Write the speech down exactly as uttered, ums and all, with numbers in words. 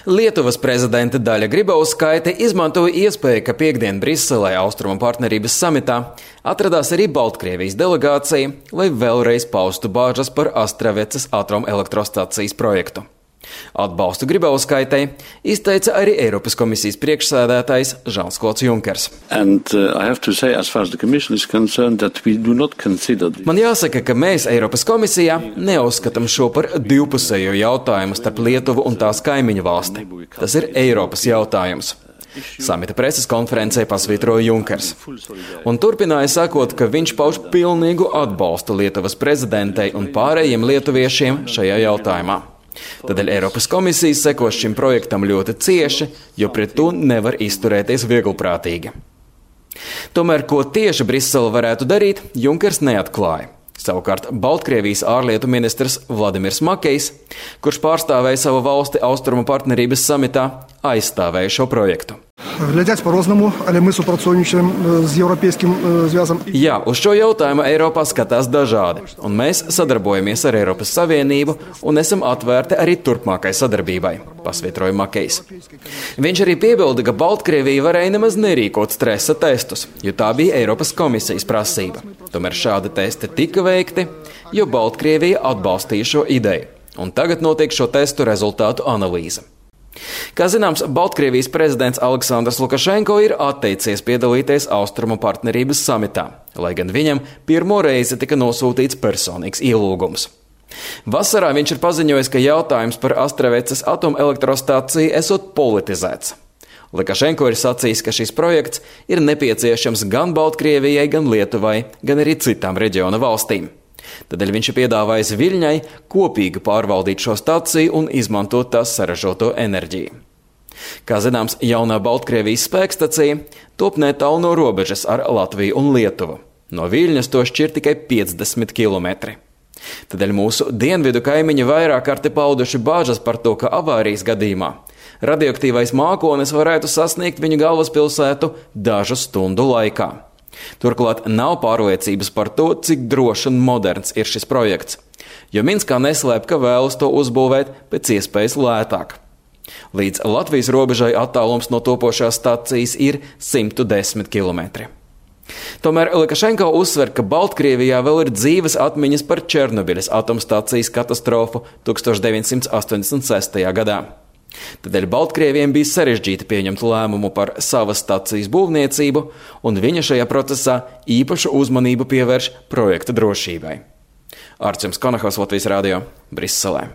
Lietuvas prezidente Daļa Grybauskaite izmantoja iespēju, ka piekdien Briselē Austrumu partnerības samitā atradās arī Baltkrievijas delegācija, lai vēlreiz paustu bāžas par Astravecas atomelektrostacijas projektu. Atbalstu Grybauskaitei izteica arī Eiropas komisijas priekšsēdētājs Žans-Klods Junkers. And, uh, say, as as Man jāsaka, ka mēs Eiropas komisijā neuzskatām šo par divpusējo jautājumu starp Lietuvu un tās kaimiņu valsti. Tas ir Eiropas jautājums. Samita preses konferencē pasvītroja Junkers. Un turpināja sakot, ka viņš pauž pilnīgu atbalstu Lietuvas prezidentei un pārējiem lietuviešiem šajā jautājumā. Tādēļ Eiropas komisijas sekos šim projektam ļoti cieši, jo pret to nevar izturēties vieglprātīgi. Tomēr, ko tieši Brisele varētu darīt, Junkers neatklāja. Savukārt Baltkrievijas ārlietu ministrs Vladimirs Makejs, kurš pārstāvēja savu valsti Austrumu partnerības samitā, aizstāvēja šo projektu. Глядять по-разному, але мы супрацовничаем с Европейским звязом. Jā, uz šo jautājumu Eiropā skatās dažādi, un mēs sadarbojamies ar Eiropas Savienību un esam atvērti arī turpmākai sadarbībai, pasvītroja Makejs. Viņš arī piebilda, ka Baltkrievija varēja nemaz nerīkot stresa testus, jo tā bija Eiropas komisijas prasība. Tomēr šādi testi tika veikti, jo Baltkrievija atbalstīja šo ideju, un tagad notiek šo testu rezultātu analīze. Kā zināms, Baltkrievijas prezidents Aleksandrs Lukašenko ir atteicies piedalīties Austrumu partnerības samitā, lai gan viņam pirmo reizi tika nosūtīts personīgs ielūgums. Vasarā viņš ir paziņojis, ka jautājums par Astravecas atomelektrostaciju esot politizēts. Lukašenko ir sacījis, ka šis projekts ir nepieciešams gan Baltkrievijai, gan Lietuvai, gan arī citām reģiona valstīm. Tādēļ viņš ir piedāvājis Viļņai kopīgi pārvaldīt šo staciju un izmantot tās saražoto enerģiju. Kā zināms, jaunā Baltkrievijas spēkstacija top netālu no robežas ar Latviju un Lietuvu. No Viļņas to šķir tikai piecdesmit kilometri. Tādēļ mūsu dienvidu kaimiņi vairāk kārti pauduši bāžas par to, ka avārijas gadījumā radioaktīvais mākonis varētu sasniegt viņu galvaspilsētu dažu stundu laikā. Turklāt nav pārliecības par to, cik drošs un moderns ir šis projekts, jo Minskā neslēp, ka vēlas to uzbūvēt pēc iespējas lētāk. Līdz Latvijas robežai attālums no topošās stacijas ir simt desmit kilometri. Tomēr Lukašenko uzsver, ka Baltkrievijā vēl ir dzīves atmiņas par Černobiļas atomstacijas katastrofu tūkstoš deviņsimt astoņdesmit sestajā gadā. Tādēļ Baltkrieviem bija sarežģīti pieņemt lēmumu par savas stacijas būvniecību, un viņa šajā procesā īpašu uzmanību pievērš projekta drošībai. Arčuns Konahaus, Latvijas radio, Briselē.